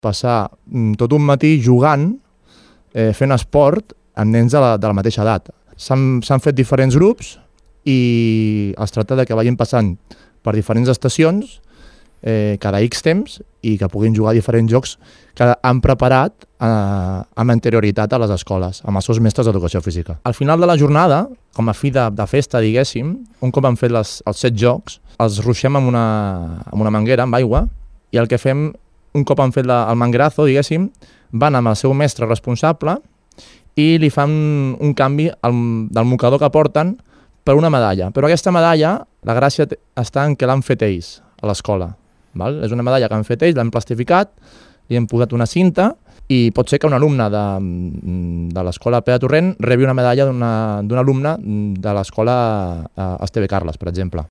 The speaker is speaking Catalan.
passar tot un matí jugant, fent esport amb nens de la mateixa edat. S'han fet diferents grups i es tracta de que vagin passant per diferents estacions cada X temps i que puguin jugar a diferents jocs que han preparat amb anterioritat a les escoles, amb els seus mestres d'educació física. Al final de la jornada, com a fi de festa, diguéssim, un cop han fet els 7 jocs, els ruixem amb una manguera, amb aigua, i el que fem, un cop han fet el manguerazo, diguéssim, van amb el seu mestre responsable i li fan un canvi del mocador que porten per una medalla. Però aquesta medalla, la gràcia està en que l'han fet ells a l'escola. És una medalla que han fet ells, l'han plastificat, li han posat una cinta i pot ser que un alumne de l'escola Pere Torrent rebi una medalla d'un alumne de l'escola Esteve Carles, per exemple.